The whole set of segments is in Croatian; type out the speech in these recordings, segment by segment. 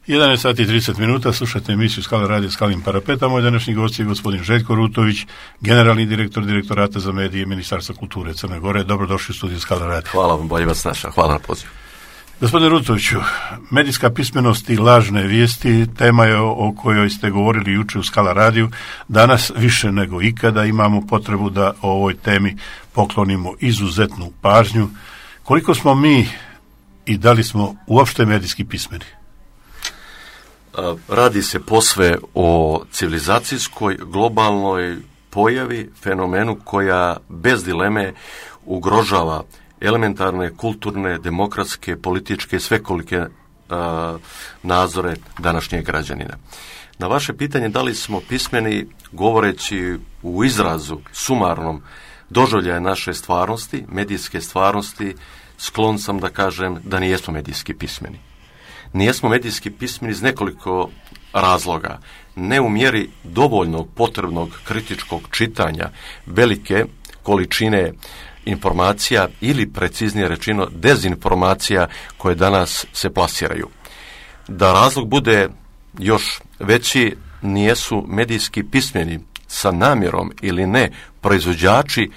11 sati i 30 minuta, slušate emisiju Skala radio Skalim parapeta. Moj današnji gost je gospodin Željko Rutović, generalni direktor Direktorata za medije Ministarstva kulture Crne Gore. Dobrodošli u studiju Skala radio. Hvala vam, bolje vas našao. Hvala na pozivu. Gospodine Rutoviću, medijska pismenost i lažne vijesti tema je o kojoj ste govorili juče u Skala radiju. Danas više nego ikada imamo potrebu da o ovoj temi poklonimo izuzetnu pažnju. Koliko smo mi i da li smo uopšte medijski pismeni? Radi se posve o civilizacijskoj, globalnoj pojavi, fenomenu koja bez dileme ugrožava elementarne, kulturne, demokratske, političke i svekolike nadzore današnjeg građanina. Na vaše pitanje da li smo pismeni, govoreći u izrazu sumarnom doživljaja naše stvarnosti, medijske stvarnosti, sklon sam da kažem da nijesmo medijski pismeni. Nijesmo medijski pismeni iz nekoliko razloga. Ne u mjeri dovoljnog potrebnog kritičkog čitanja velike količine informacija ili preciznije rečeno dezinformacija koje danas se plasiraju. Da razlog bude još veći, nijesu medijski pismeni sa namjerom ili ne proizvođači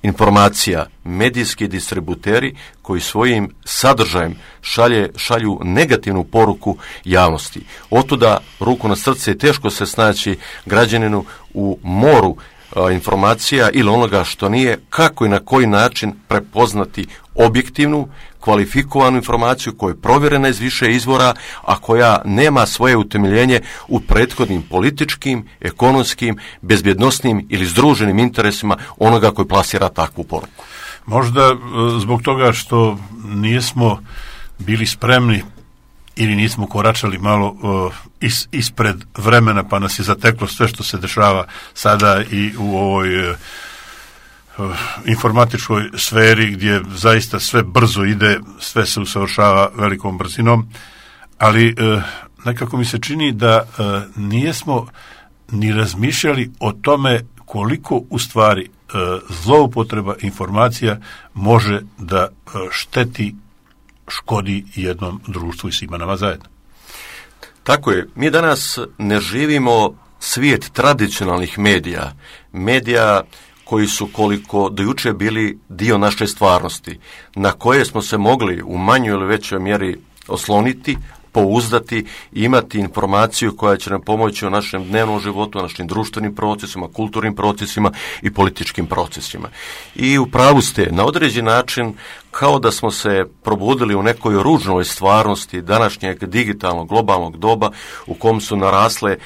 informacija, medijski distributeri koji svojim sadržajem šalju negativnu poruku javnosti. Otuda ruku na srce teško se snaći građaninu u moru informacija ili onoga što nije, kako i na koji način prepoznati objektivnu, kvalifikovanu informaciju koja je provjerena iz više izvora, a koja nema svoje utemeljenje u prethodnim političkim, ekonomskim, bezbjednosnim ili združenim interesima onoga koji plasira takvu poruku. Možda zbog toga što nismo bili spremni ili nismo koračali malo ispred vremena, pa nas je zateklo sve što se dešava sada i u ovoj informatičkoj sferi gdje zaista sve brzo ide, sve se usavršava velikom brzinom, ali nekako mi se čini da nijesmo ni razmišljali o tome koliko u stvari zloupotreba informacija može da šteti, škodi jednom društvu i svima nama zajedno. Tako je. Mi danas ne živimo svijet tradicionalnih medija koji su koliko do juče bili dio naše stvarnosti, na koje smo se mogli u manjoj ili većoj mjeri osloniti, pouzdati i imati informaciju koja će nam pomoći u našem dnevnom životu, u našim društvenim procesima, kulturnim procesima i političkim procesima. I u pravu ste, na određen način kao da smo se probudili u nekoj ružnoj stvarnosti današnjeg digitalnog globalnog doba u kom su narasle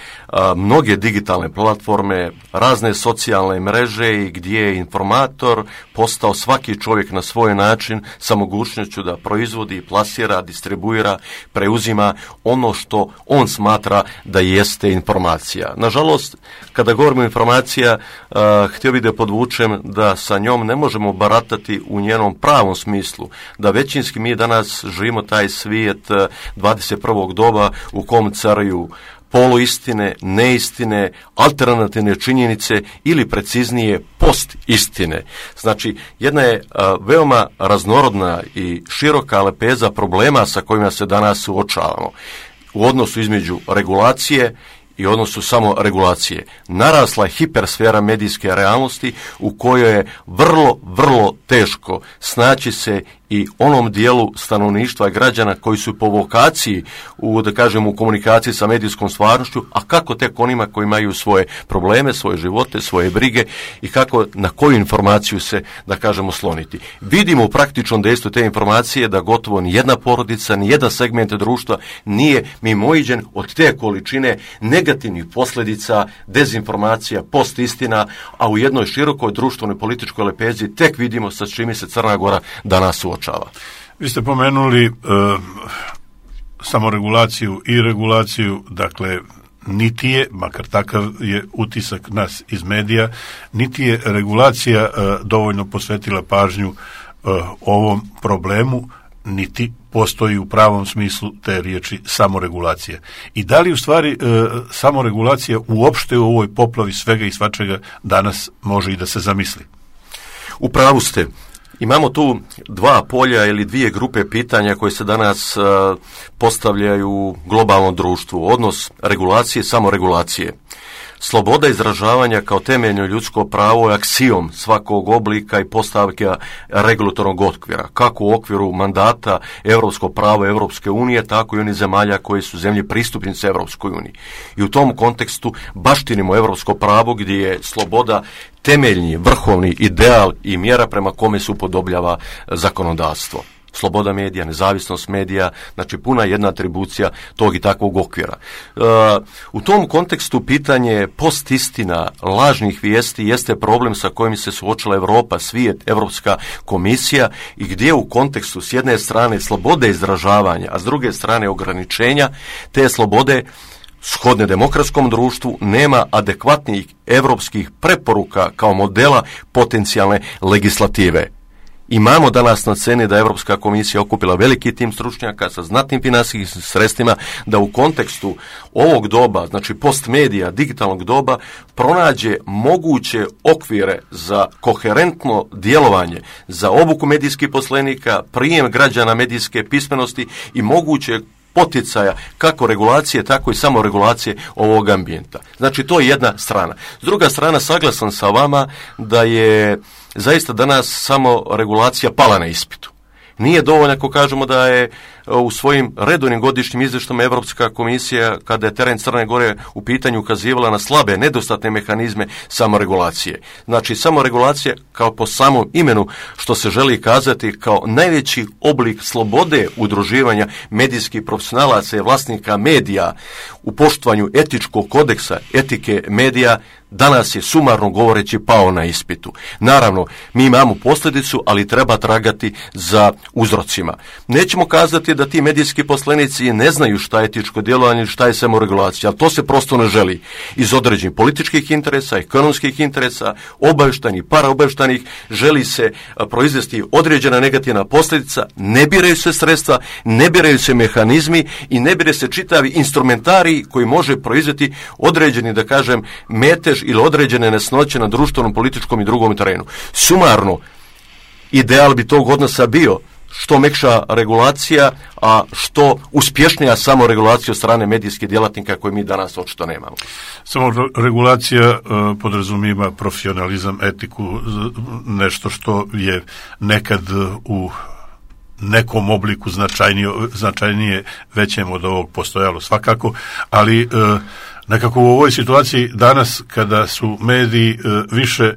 mnoge digitalne platforme, razne socijalne mreže i gdje je informator postao svaki čovjek na svoj način sa mogućnošću da proizvodi, plasira, distribuira, preuzima ono što on smatra da jeste informacija. Nažalost, kada govorimo o informacija, htio bih da podvučem da sa njom ne možemo baratati u njenom pravom smislu, da većinski mi danas živimo taj svijet 21. doba u kom caruju poluistine, neistine, alternativne činjenice ili preciznije postistine. Znači, jedna je veoma raznorodna i široka lepeza problema sa kojima se danas suočavamo u odnosu između regulacije i odnosu samo regulacije. Narasla je hipersfera medijske realnosti u kojoj je vrlo teško snaći se i onom dijelu stanovništva građana koji su po vokaciji u komunikaciji sa medijskom stvarnošću, a kako tek onima koji imaju svoje probleme, svoje živote, svoje brige i kako, na koju informaciju se, sloniti. Vidimo u praktičnom dejstvu te informacije da gotovo nijedna porodica, nijedan segment društva nije mimoiđen od te količine negativnih posljedica, dezinformacija, postistina, a u jednoj širokoj društvenoj političkoj lepezi tek vidimo sa čime se Crna Gora danas suočava. Vi ste pomenuli samoregulaciju i regulaciju, dakle niti je, makar takav je utisak nas iz medija, niti je regulacija dovoljno posvetila pažnju ovom problemu, niti postoji u pravom smislu te riječi samoregulacija. I da li u stvari samoregulacija uopšte u ovoj poplavi svega i svačega danas može i da se zamisli? U pravu ste. Imamo tu dva polja ili dvije grupe pitanja koje se danas postavljaju u globalnom društvu. Odnos regulacije i samoregulacije. Sloboda izražavanja kao temeljno ljudsko pravo je aksijom svakog oblika i postavke regulatornog okvira, kako u okviru mandata europskog prava Europske unije, tako i onih zemalja koje su zemlje pristupnice Europskoj uniji. I u tom kontekstu baštinimo europsko pravo gdje je sloboda temeljni, vrhovni ideal i mjera prema kome se upodobljava zakonodavstvo. Sloboda medija, nezavisnost medija, znači puna jedna atribucija tog i takvog okvira. U tom kontekstu pitanje postistina, lažnih vijesti jeste problem sa kojim se suočila Europa, svijet, Europska komisija i gdje u kontekstu s jedne strane slobode izražavanja, a s druge strane ograničenja te slobode shodne demokratskom društvu nema adekvatnih europskih preporuka kao modela potencijalne legislative. Imamo danas na sceni da Europska komisija okupila veliki tim stručnjaka sa znatnim financijskim sredstvima da u kontekstu ovog doba, znači postmedija, digitalnog doba, pronađe moguće okvire za koherentno djelovanje, za obuku medijskih poslenika, prijem građana medijske pismenosti i moguće poticaja kako regulacije, tako i samoregulacije ovog ambijenta. Znači, to je jedna strana. S druga strana, saglasan sa vama da je zaista danas samo regulacija pala na ispitu. Nije dovoljno ako kažemo da je u svojim redovnim godišnjim izvještajima Europska komisija, kada je teren Crne Gore u pitanju, ukazivala na slabe, nedostatne mehanizme samoregulacije. Znači, samoregulacija kao po samom imenu što se želi kazati kao najveći oblik slobode udruživanja medijskih profesionalaca i vlasnika medija u poštovanju etičkog kodeksa, etike medija, danas je sumarno govoreći pao na ispitu. Naravno, mi imamo posljedicu, ali treba tragati za uzrocima. Nećemo kazati da ti medijski poslenici ne znaju šta je etičko djelovanje, šta je samoregulacija, ali to se prosto ne želi. Iz određenih političkih interesa, ekonomskih interesa, obavještajnih, paraobavještajnih, želi se proizvesti određena negativna posljedica, ne biraju se sredstva, ne biraju se mehanizmi i ne bire se čitavi instrumentarij koji može proizvesti određeni, da kažem, metež ili određene nesnoće na društvenom, političkom i drugom terenu. Sumarno, ideal bi tog odnosa bio što mekša regulacija, a što uspješnija samoregulacija od strane medijskih djelatnika koje mi danas očito nemamo. Samoregulacija podrazumijeva profesionalizam, etiku, nešto što je nekad u nekom obliku značajnije većem od ovog postojalo svakako, ali nekako u ovoj situaciji danas kada su mediji više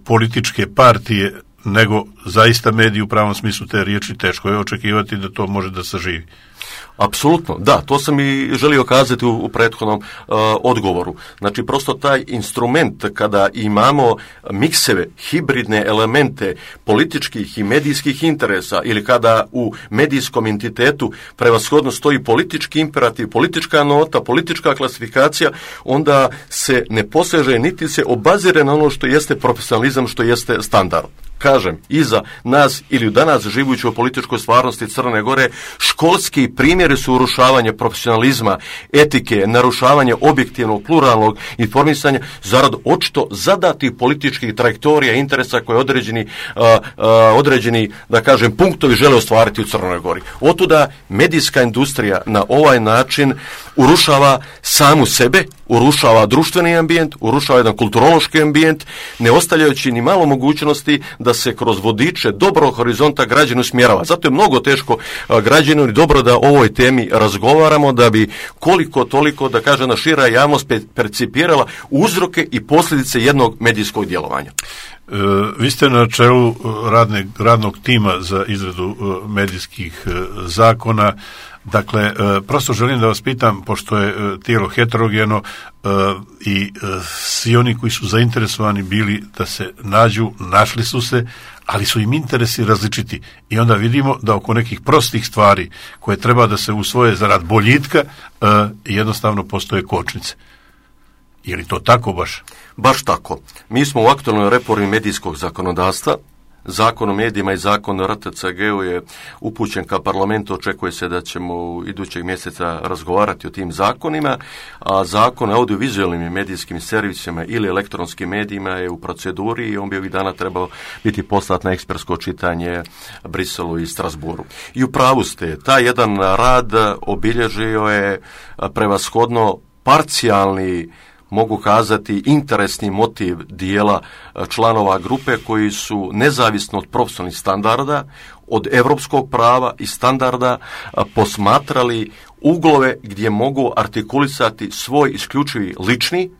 političke partije nego zaista mediji u pravom smislu te riječi, teško je očekivati da to može da saživi. Apsolutno, da, to sam i želio kazati u prethodnom odgovoru. Znači, prosto taj instrument kada imamo mikseve, hibridne elemente političkih i medijskih interesa ili kada u medijskom entitetu prevashodno stoji politički imperativ, politička nota, politička klasifikacija, onda se ne poseže niti se obazire na ono što jeste profesionalizam, što jeste standard. Kažem, iza nas ili danas živujući u političkoj stvarnosti Crne Gore, školski primjeri su urušavanje profesionalizma, etike, narušavanje objektivnog, pluralnog informisanja zarad očito zadatih političkih trajektorija, interesa koje određeni, da kažem, punktovi žele ostvariti u Crnoj Gori. Otuda medijska industrija na ovaj način urušava samu sebe, urušava društveni ambijent, urušava jedan kulturološki ambijent, ne ostavljajući ni malo mogućnosti da se kroz vodiče dobrog horizonta građanu usmjerava. Zato je mnogo teško građanu i dobro da o ovoj temi razgovaramo, da bi koliko toliko, da kažem, na šira javnost percipirala uzroke i posljedice jednog medijskog djelovanja. Vi ste na čelu radnog tima za izradu medijskih zakona. Dakle, prosto želim da vas pitam, pošto je tijelo heterogeno i svi oni koji su zainteresovani bili da se nađu, našli su se, ali su im interesi različiti. I onda vidimo da oko nekih prostih stvari koje treba da se usvoje zarad boljitka, jednostavno postoje kočnice. Je li to tako baš? Baš tako. Mi smo u aktualnoj reformi medijskog zakonodavstva Zakon o medijima i zakon o RTCG-u je upućen ka parlamentu, očekuje se da ćemo idućeg mjeseca razgovarati o tim zakonima, a zakon o audiovizualnim i medijskim servisima ili elektronskim medijima je u proceduri i on bi ovih dana trebao biti poslat na ekspertsko čitanje Briselu i Strasburu. I u pravu ste, taj jedan rad obilježio je prevashodno parcijalni, mogu kazati, interesni motiv dijela članova grupe koji su nezavisno od profesionalnih standarda, od europskog prava i standarda posmatrali uglove gdje mogu artikulisati svoj isključivi lični,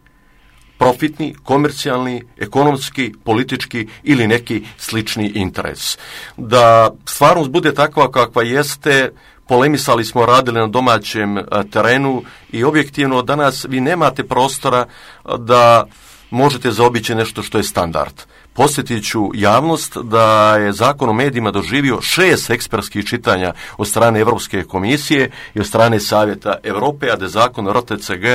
profitni, komercijalni, ekonomski, politički ili neki slični interes. Da stvarnost bude takva kakva jeste, polemisali smo, radili na domaćem terenu i objektivno danas vi nemate prostora da možete zaobići nešto što je standard. Posjetit ću javnost da je Zakon o medijima doživio 6 ekspertskih čitanja od strane Europske komisije i od strane Savjeta Europe, a da je Zakon o RTCG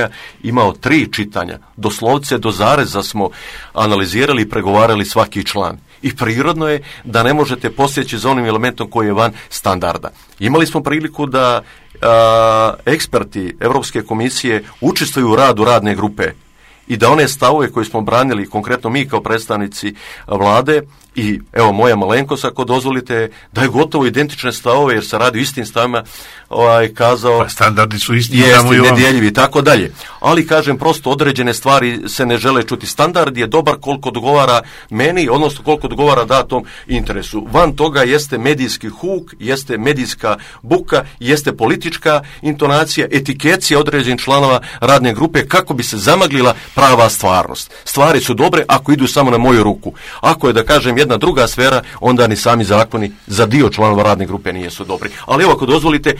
imao 3 čitanja. Doslovce do zareza smo analizirali i pregovarali svaki član. I prirodno je da ne možete posjeći za onim elementom koji je van standarda. Imali smo priliku da eksperti Europske komisije učestvuju u radu radne grupe i da one stavove koje smo branili, konkretno mi kao predstavnici vlade i evo moja malenkost, ako dozvolite, da je gotovo identične stavove jer se radi o istim stavima, kazao... Pa standardi su isti. Jesti, nedjeljivi i tako dalje. Ali kažem, prosto određene stvari se ne žele čuti. Standard je dobar koliko odgovara meni, odnosno koliko odgovara datom interesu. Van toga jeste medijski huk, jeste medijska buka, jeste politička intonacija, etikecija određenih članova radne grupe kako bi se zamaglila prava stvarnost. Stvari su dobre ako idu samo na moju ruku. Ako je, da kažem, jedna druga sfera, onda ni sami za dio članova radne grupe nisu dobri. Ali evo, ako dozvolite,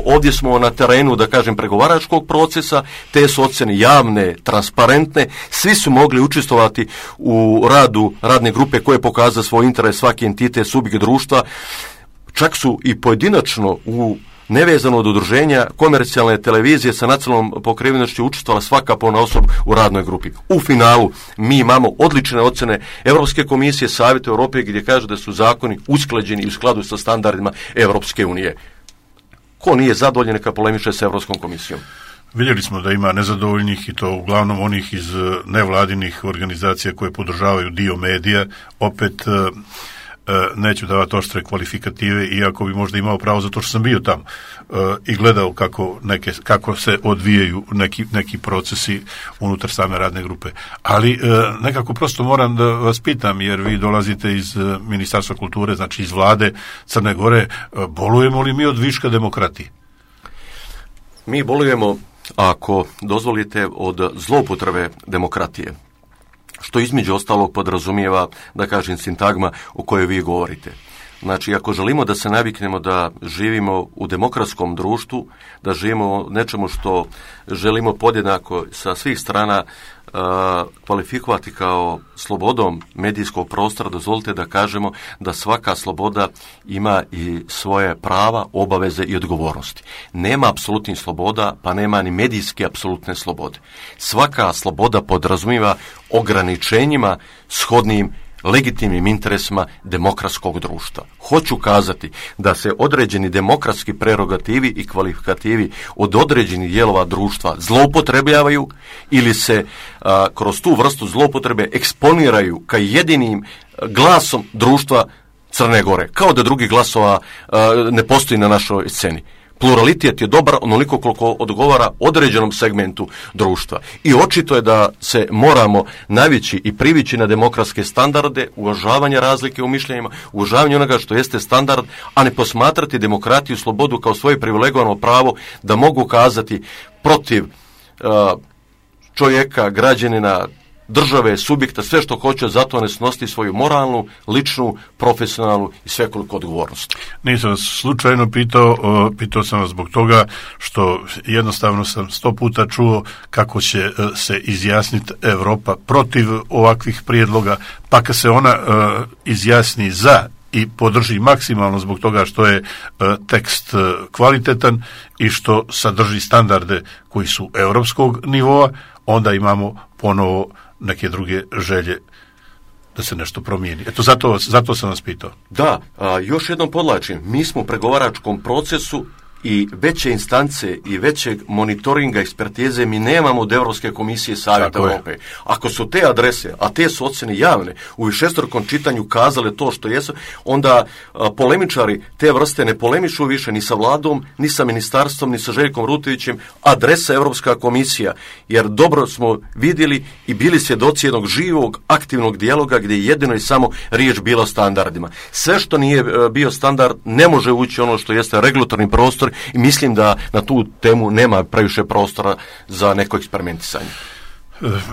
ovdje smo na terenu, da kažem, pregovaračkog procesa, te su ocjene javne, transparentne, svi su mogli učestvovati u radu radne grupe koje pokaza svoj interes, svaki entitet, subjekt društva, čak su i pojedinačno nevezano od udruženja komercijalne televizije sa nacionalnom pokrivenošću učestvovala svaka ponaosob u radnoj grupi. U finalu mi imamo odlične ocjene Europske komisije, Savjeta Europe gdje kaže da su zakoni usklađeni u skladu sa standardima Europske unije. Ko nije zadovoljen neka polemiše sa Europskom komisijom. Vidjeli smo da ima nezadovoljnih i to uglavnom onih iz nevladinih organizacija koje podržavaju dio medija. Opet neću davati oštre kvalifikative, iako bi možda imao pravo zato što sam bio tamo i gledao kako se odvijaju neki procesi unutar same radne grupe. Ali nekako prosto moram da vas pitam, jer vi dolazite iz Ministarstva kulture, znači iz vlade Crne Gore, bolujemo li mi od viška demokratije? Mi bolujemo, ako dozvolite, od zloupotrebe demokratije, što između ostalog podrazumijeva, da kažem, sintagma o kojoj vi govorite. Znači, ako želimo da se naviknemo da živimo u demokratskom društvu, da živimo u nečemu što želimo podjednako sa svih strana kvalifikovati kao slobodom medijskog prostora, dozvolite da kažemo da svaka sloboda ima i svoje prava, obaveze i odgovornosti. Nema apsolutnih sloboda, pa nema ni medijske apsolutne slobode. Svaka sloboda podrazumijeva ograničenjima shodnim legitimnim interesima demokratskog društva. Hoću kazati da se određeni demokratski prerogativi i kvalifikativi od određenih dijelova društva zloupotrebljavaju ili se kroz tu vrstu zloupotrebe eksponiraju kao jedinim glasom društva Crne Gore, kao da drugih glasova ne postoji na našoj sceni. Pluralitet je dobar onoliko koliko odgovara određenom segmentu društva. I očito je da se moramo navići i privići na demokratske standarde, uvažavanje razlike u mišljenjima, uvažavanje onoga što jeste standard, a ne posmatrati demokratiju, slobodu kao svoje privilegovano pravo da mogu kazati protiv čovjeka, građanina, države, subjekta, sve što hoće, zato ne snositi svoju moralnu, ličnu, profesionalnu i svekoliko odgovornost. Nisam vas slučajno pitao sam vas zbog toga što jednostavno sam 100 puta čuo kako će se izjasniti Europa protiv ovakvih prijedloga, pa kad se ona izjasni za i podrži maksimalno zbog toga što je tekst kvalitetan i što sadrži standarde koji su europskog nivoa, onda imamo ponovo neke druge želje da se nešto promijeni. Eto, zato sam vas pitao. Da, još jednom podlačim, mi smo u pregovaračkom procesu i veće instance i većeg monitoringa ekspertize mi nemamo od Europske komisije Savjeta Europe. Ako su te adrese, a te su ocjene javne, u višestrukom čitanju kazale to što jesu, onda polemičari te vrste ne polemišu više ni sa vladom, ni sa ministarstvom, ni sa Željkom Rutovićem, adresa Europska komisija, jer dobro smo vidjeli i bili svjedoci jednog živog, aktivnog dijaloga gdje je jedino i samo riječ bila o standardima. Sve što nije bio standard ne može ući ono što jeste regulatorni prostor i mislim da na tu temu nema previše prostora za neko eksperimentisanje.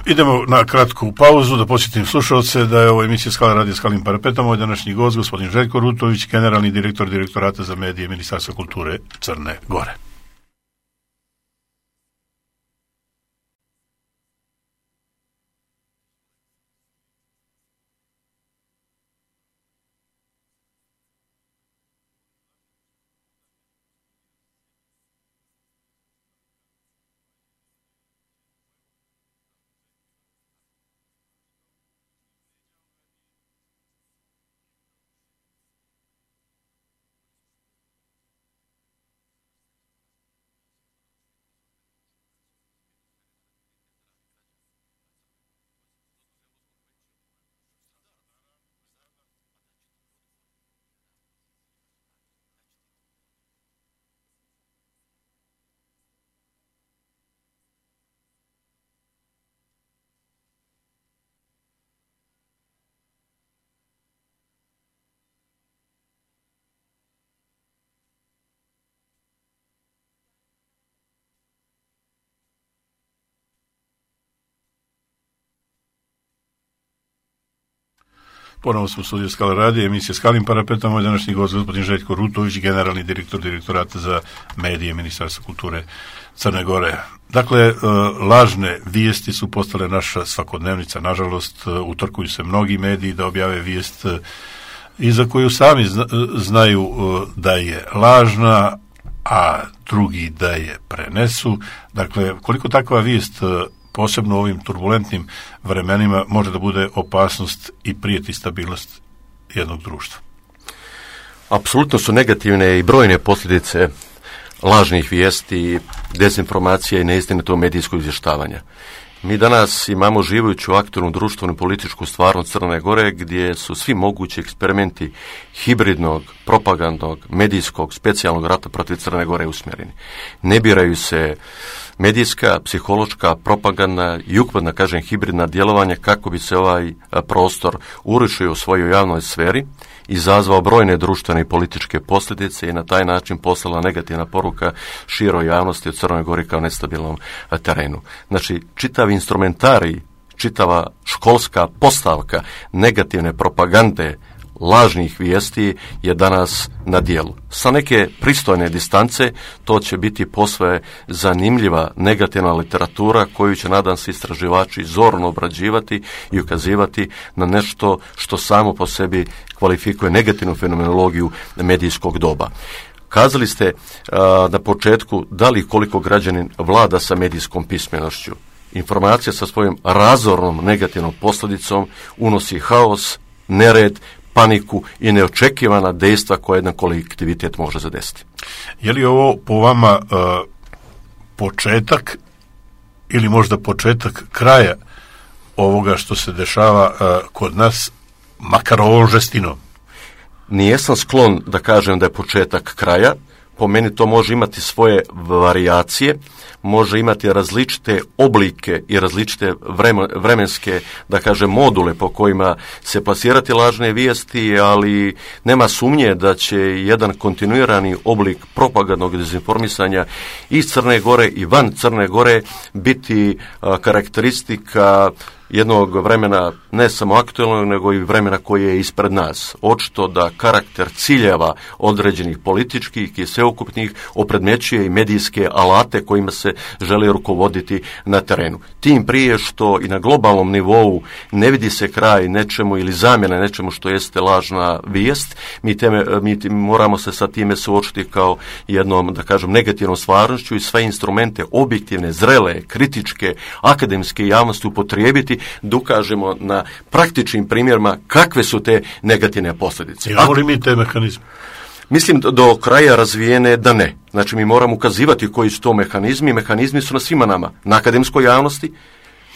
Idemo na kratku pauzu da podsjetim slušalce da je ovo emisija Skala radija Skalim parapetom. Ovo je današnji gost, gospodin Željko Rutović, generalni direktor Direktorata za medije Ministarstva kulture Crne Gore. Ponovno smo u studiju Skala radija, emisija Skalim parapetom, moj današnji gost gospodin Željko Rutović, generalni direktor Direktorata za medije Ministarstva kulture Crne Gore. Dakle, lažne vijesti su postale naša svakodnevnica, nažalost, utrkuju se mnogi mediji da objave vijest i za koju sami znaju da je lažna, a drugi da je prenesu. Dakle, koliko takva vijest posebno u ovim turbulentnim vremenima može da bude opasnost i prijeti stabilnost jednog društva? Apsolutno su negativne i brojne posljedice lažnih vijesti, dezinformacija i neistinitog medijskog izvještavanja. Mi danas imamo živujuću aktualnu društvenu političku stvarnost Crne Gore gdje su svi mogući eksperimenti hibridnog, propagandnog, medijskog, specijalnog rata protiv Crne Gore usmjereni. Ne biraju se medijska, psihološka, propagandna i ukupna, kažem, hibridna djelovanja kako bi se ovaj prostor urušio u svojoj javnoj sferi, izazvao brojne društvene i političke posljedice i na taj način poslala negativna poruka široj javnosti o Crnoj Gori kao nestabilnom terenu. Znači, čitav instrumentarij, čitava školska postavka negativne propagande, lažnih vijesti je danas na dijelu. Sa neke pristojne distance to će biti posve zanimljiva negativna literatura koju će, nadam se, istraživači zorno obrađivati i ukazivati na nešto što samo po sebi kvalifikuje negativnu fenomenologiju medijskog doba. Kazali ste na početku da li koliko građanin vlada sa medijskom pismenošću. Informacija sa svojom razornom negativnom posljedicom unosi haos, nered, paniku i neočekivana dejstva koje jedan kolektivitet može zadesiti. Je li ovo po vama početak ili možda početak kraja ovoga što se dešava kod nas, makar ovom žestinom? Nijesam sklon da kažem da je početak kraja. Po meni to može imati svoje varijacije, može imati različite oblike i različite vremenske, da kažem, module po kojima se plasirati lažne vijesti, ali nema sumnje da će jedan kontinuirani oblik propagandnog dezinformisanja iz Crne Gore i van Crne Gore biti karakteristika jednog vremena, ne samo aktualnog, nego i vremena koje je ispred nas. Očito da karakter ciljeva određenih političkih i sveukupnih opredmećuje i medijske alate kojima se želi rukovoditi na terenu. Tim prije što i na globalnom nivou ne vidi se kraj nečemu ili zamjena nečemu što jeste lažna vijest, mi moramo se sa time suočiti kao jednom, da kažem, negativnom stvarnošću i sve instrumente objektivne, zrele, kritičke, akademske javnosti upotrijebiti sebi da ukažemo na praktičnim primjerima kakve su te negativne posljedice. Imamo li mi te mehanizme? Mislim do kraja razvijene da ne. Znači mi moramo ukazivati koji su to mehanizmi. Mehanizmi su na svima nama, na akademskoj javnosti,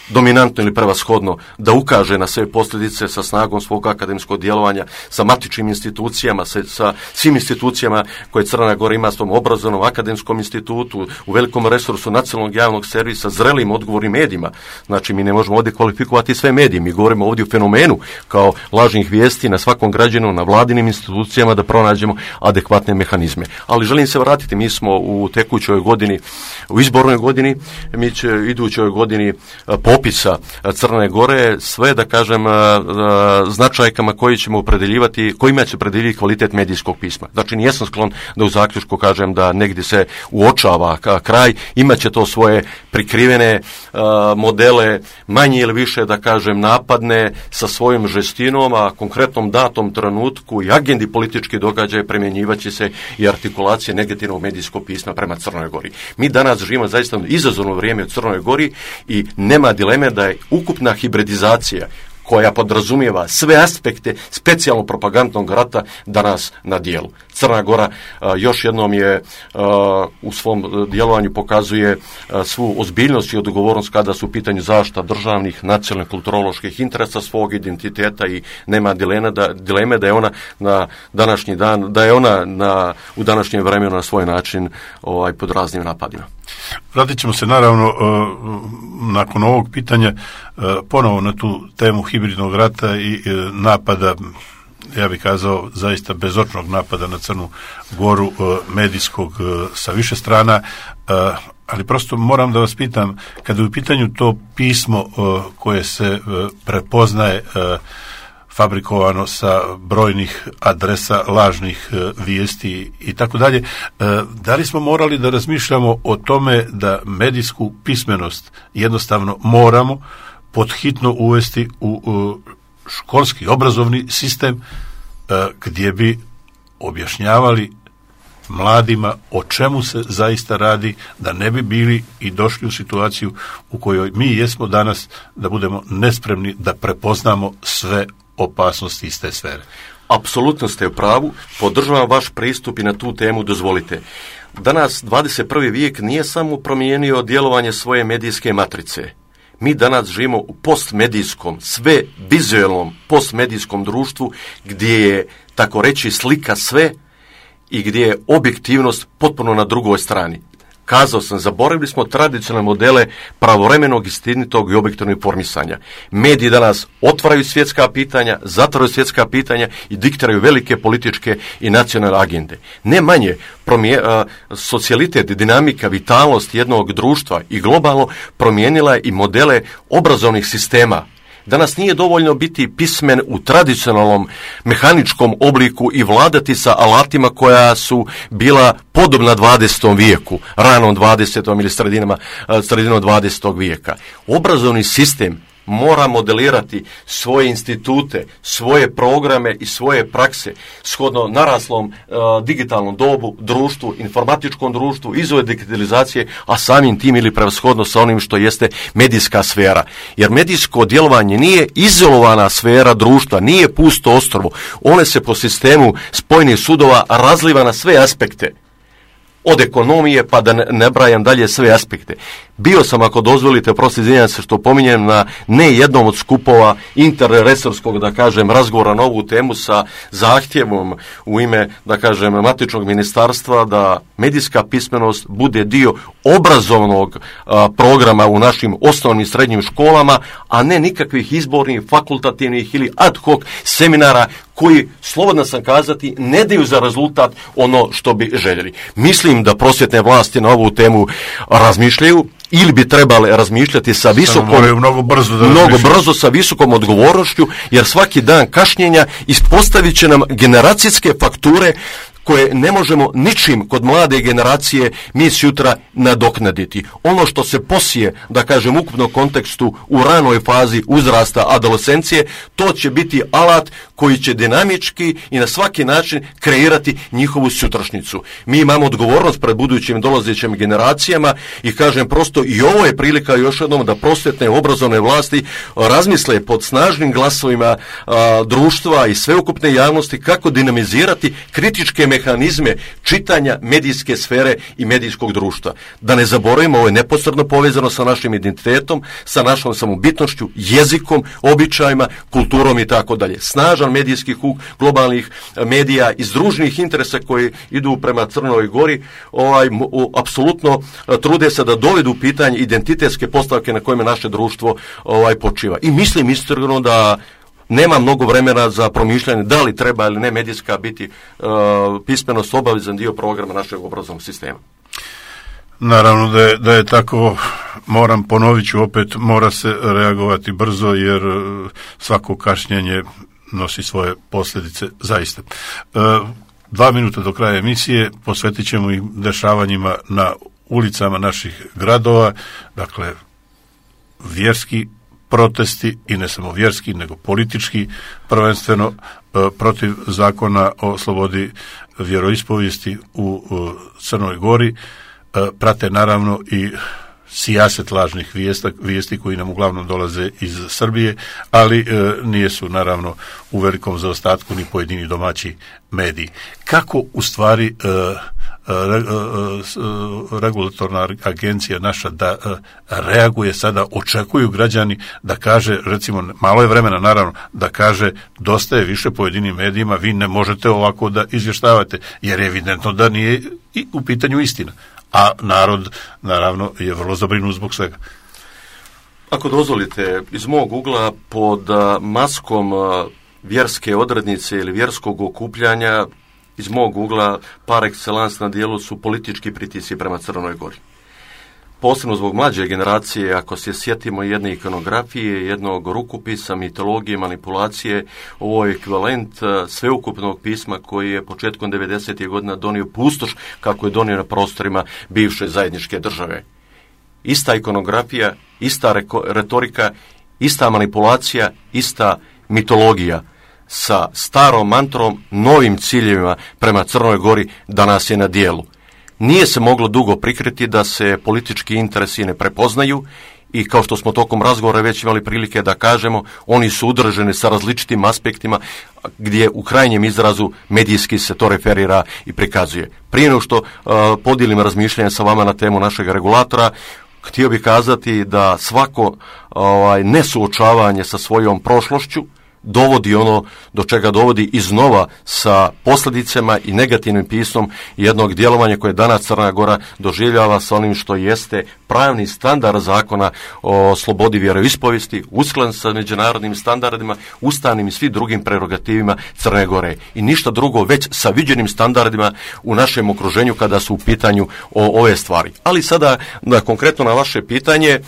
dominantno ili prevashodno da ukaže na sve posljedice sa snagom svog akademskog djelovanja, sa matičnim institucijama, sa svim institucijama koje Crna Gora ima, s tom obrazovnom akademskom institutu, u velikom resursu nacionalnog javnog servisa, zrelim odgovornim medijima. Znači mi ne možemo ovdje kvalifikovati sve medije, mi govorimo ovdje o fenomenu kao lažnih vijesti na svakom građanu, na vladinim institucijama da pronađemo adekvatne mehanizme. Ali želim se vratiti, mi smo u tekućoj godini, u izbornoj godini, mi će idućoj godini popisa Crne Gore, sve da kažem značajkama koji ćemo opredeljivati, kojima će opredeljivati kvalitet medijskog pisma. Znači nijesam sklon da u zaključku kažem da negdje se uočava kraj, imat će to svoje prikrivene modele, manje ili više da kažem napadne sa svojom žestinom, a konkretnom datom trenutku i agendi politički događaje primjenjivat će se i artikulacije negativnog medijskog pisma prema Crnoj Gori. Mi danas živimo zaista izazovno vrijeme u Crnoj Gori i nema dileme da je ukupna hibridizacija koja podrazumijeva sve aspekte specijalno propagandnog rata danas na dijelu. Crna Gora još jednom je u svom djelovanju pokazuje svu ozbiljnost i odgovornost kada su u pitanju zaštita državnih, nacionalnih, kulturoloških interesa svog identiteta i nema dileme da je ona na današnji dan, da je ona u današnjem vremenu na svoj način pod raznim napadima. Vratit ćemo se naravno nakon ovog pitanja ponovo na tu temu hibridnog rata i napada, ja bih kazao zaista bezočnog napada na Crnu Goru, medijskog sa više strana, ali prosto moram da vas pitam, kada je u pitanju to pismo koje se prepoznaje fabrikovano sa brojnih adresa, lažnih vijesti i tako dalje, da li smo morali da razmišljamo o tome da medijsku pismenost jednostavno moramo podhitno uvesti u školski obrazovni sistem gdje bi objašnjavali mladima o čemu se zaista radi, da ne bi bili i došli u situaciju u kojoj mi jesmo danas, da budemo nespremni da prepoznamo sve opasnosti iz te sfere. Apsolutno ste u pravu, podržavam vaš pristup i na tu temu dozvolite. Danas 21. vijek nije samo promijenio djelovanje svoje medijske matrice. Mi danas živimo u postmedijskom, sve vizualnom postmedijskom društvu gdje je, tako reći, slika sve i gdje je objektivnost potpuno na drugoj strani. Kazao sam, zaboravili smo tradicionalne modele pravovremenog, istinitog i objektivnog informisanja. Mediji danas otvaraju svjetska pitanja, zatvaraju svjetska pitanja i diktiraju velike političke i nacionalne agende. Ne manje, socijalitet, dinamika, vitalnost jednog društva i globalno promijenila i modele obrazovnih sistema. Danas nije dovoljno biti pismen u tradicionalnom mehaničkom obliku i vladati sa alatima koja su bila podobna 20. vijeku, ranom 20. ili sredinom 20. vijeka. Obrazovni sistem mora modelirati svoje institute, svoje programe i svoje prakse shodno naraslom digitalnom dobu, društvu, informatičkom društvu, izove digitalizacije, a samim tim ili prevashodno sa onim što jeste medijska sfera. Jer medijsko djelovanje nije izolovana sfera društva, nije pusto ostrvo. One se po sistemu spojenih sudova razliva na sve aspekte. Od ekonomije pa da ne brajam dalje sve aspekte. Bio sam, ako dozvolite, prosto izvinjam se što pominjem, na ne jednom od skupova interresorskog, da kažem, razgovora na ovu temu sa zahtjevom u ime, da kažem, matičnog ministarstva da medijska pismenost bude dio obrazovnog programa u našim osnovnim i srednjim školama, a ne nikakvih izbornih, fakultativnih ili ad hoc seminara koji, slobodno sam kazati, ne daju za rezultat ono što bi željeli. Mislim da prosvjetne vlasti na ovu temu razmišljaju ili bi trebale razmišljati sa mnogo brzo sa visokom odgovornošću, jer svaki dan kašnjenja ispostavit će nam generacijske fakture koje ne možemo ničim kod mlade generacije mi sutra nadoknaditi. Ono što se posije, da kažem, u ukupnom kontekstu u ranoj fazi uzrasta adolescencije, to će biti alat koji će dinamički i na svaki način kreirati njihovu sutrašnjicu. Mi imamo odgovornost pred budućim dolazećim generacijama i kažem prosto i ovo je prilika još jednom da prosvjetne obrazovne vlasti razmisle pod snažnim glasovima društva i sveukupne javnosti kako dinamizirati kritičke mehanizme čitanja medijske sfere i medijskog društva. Da ne zaboravimo, ovo je neposredno povezano sa našim identitetom, sa našom samobitnošću, jezikom, običajima, kulturom i tako dalje. Snažan medijski huk globalnih medija iz družnih interesa koji idu prema Crnoj Gori, apsolutno trude se da dovedu u pitanje identitetske postavke na kojima naše društvo počiva. I mislim iskreno da nema mnogo vremena za promišljanje da li treba ili ne medijska biti pismenost obavezan dio programa našeg obrazovnog sistema. Naravno da je tako, ponovit ću opet, mora se reagovati brzo jer svako kašnjenje nosi svoje posljedice zaista. 2 minuta do kraja emisije posvetit ćemo ih dešavanjima na ulicama naših gradova, dakle vjerski protesti i ne samo vjerski nego politički, prvenstveno protiv zakona o slobodi vjeroispovijesti u Crnoj Gori. Prate naravno i sijaset lažnih vijesti koji nam uglavnom dolaze iz Srbije, ali nisu naravno u velikom zaostatku ni pojedini domaći mediji. Kako u stvari regulatorna agencija naša da reaguje sada, očekuju građani da kaže, recimo malo je vremena naravno, da kaže dosta je više pojedinim medijima, vi ne možete ovako da izvještavate, jer je evidentno da nije u pitanju istina. A narod, naravno, je vrlo zabrinut zbog svega. Ako dozvolite, iz mog ugla pod maskom vjerske odrednice ili vjerskog okupljanja, iz mog ugla par excellence na dijelu su politički pritisci prema Crnoj Gori. Posebno zbog mlađe generacije, ako se sjetimo jedne ikonografije, jednog rukopisa, mitologije, manipulacije, ovo je ekvivalent sveukupnog pisma koji je početkom 90. godina donio pustoš kako je donio na prostorima bivše zajedničke države. Ista ikonografija, ista retorika, ista manipulacija, ista mitologija sa starom mantrom, novim ciljevima prema Crnoj Gori danas je na dijelu. Nije se moglo dugo prikriti da se politički interesi ne prepoznaju i kao što smo tokom razgovora već imali prilike da kažemo, oni su udruženi sa različitim aspektima gdje u krajnjem izrazu medijski se to referira i prikazuje. Prije nego što podijelim razmišljanje sa vama na temu našeg regulatora, htio bih kazati da svako nesuočavanje sa svojom prošlošću dovodi ono do čega dovodi iznova sa posljedicama i negativnim pismom jednog djelovanja koje danas Crna Gora doživljava sa onim što jeste pravni standard zakona o slobodi vjeroispovijesti, usklađen sa međunarodnim standardima, ustavnim i svim drugim prerogativima Crne Gore. I ništa drugo, već sa viđenim standardima u našem okruženju kada su u pitanju ove stvari. Ali sada, konkretno na vaše pitanje,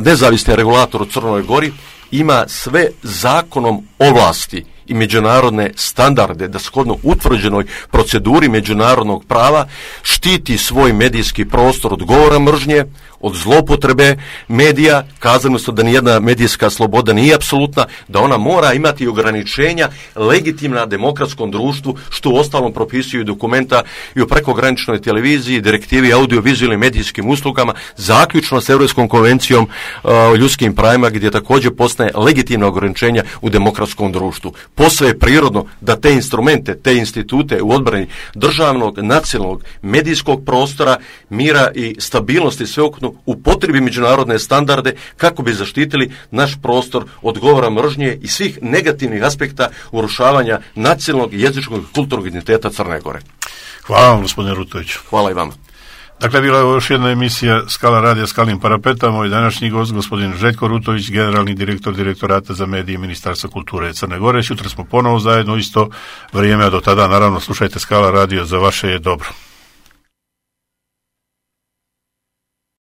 nezavisni regulator u Crnoj Gori ima sve zakonom ovlasti i međunarodne standarde da shodno utvrđenoj proceduri međunarodnog prava štiti svoj medijski prostor od govora mržnje, od zloupotrebe medija, kazano su da nijedna medijska sloboda nije apsolutna, da ona mora imati ograničenja legitimna demokratskom društvu, što uostalom propisuju dokumenta i o prekograničnoj televiziji, direktivi audiovizualnim medijskim uslugama, zaključno s Europskom konvencijom o ljudskim pravima, gdje također postoje legitimna ograničenja u demokratskom društvu. Posve je prirodno da te instrumente, te institute u odbrani državnog, nacionalnog, medijskog prostora, mira i stabilnosti sveukupno upotrebi međunarodne standarde kako bi zaštitili naš prostor od govora mržnje i svih negativnih aspekta urušavanja nacionalnog, jezičkog i kulturnog identiteta Crne Gore. Hvala vam, gospodine Rutoviću. Hvala i vama. Dakle, bila je još jedna emisija Skala radija Skalnim parapetom. Moj današnji gost, gospodin Željko Rutović, generalni direktor Direktorata za medije Ministarstva kulture Crne Gore. Sutra smo ponovo zajedno isto vrijeme, a do tada naravno slušajte Skala radio, za vaše je dobro.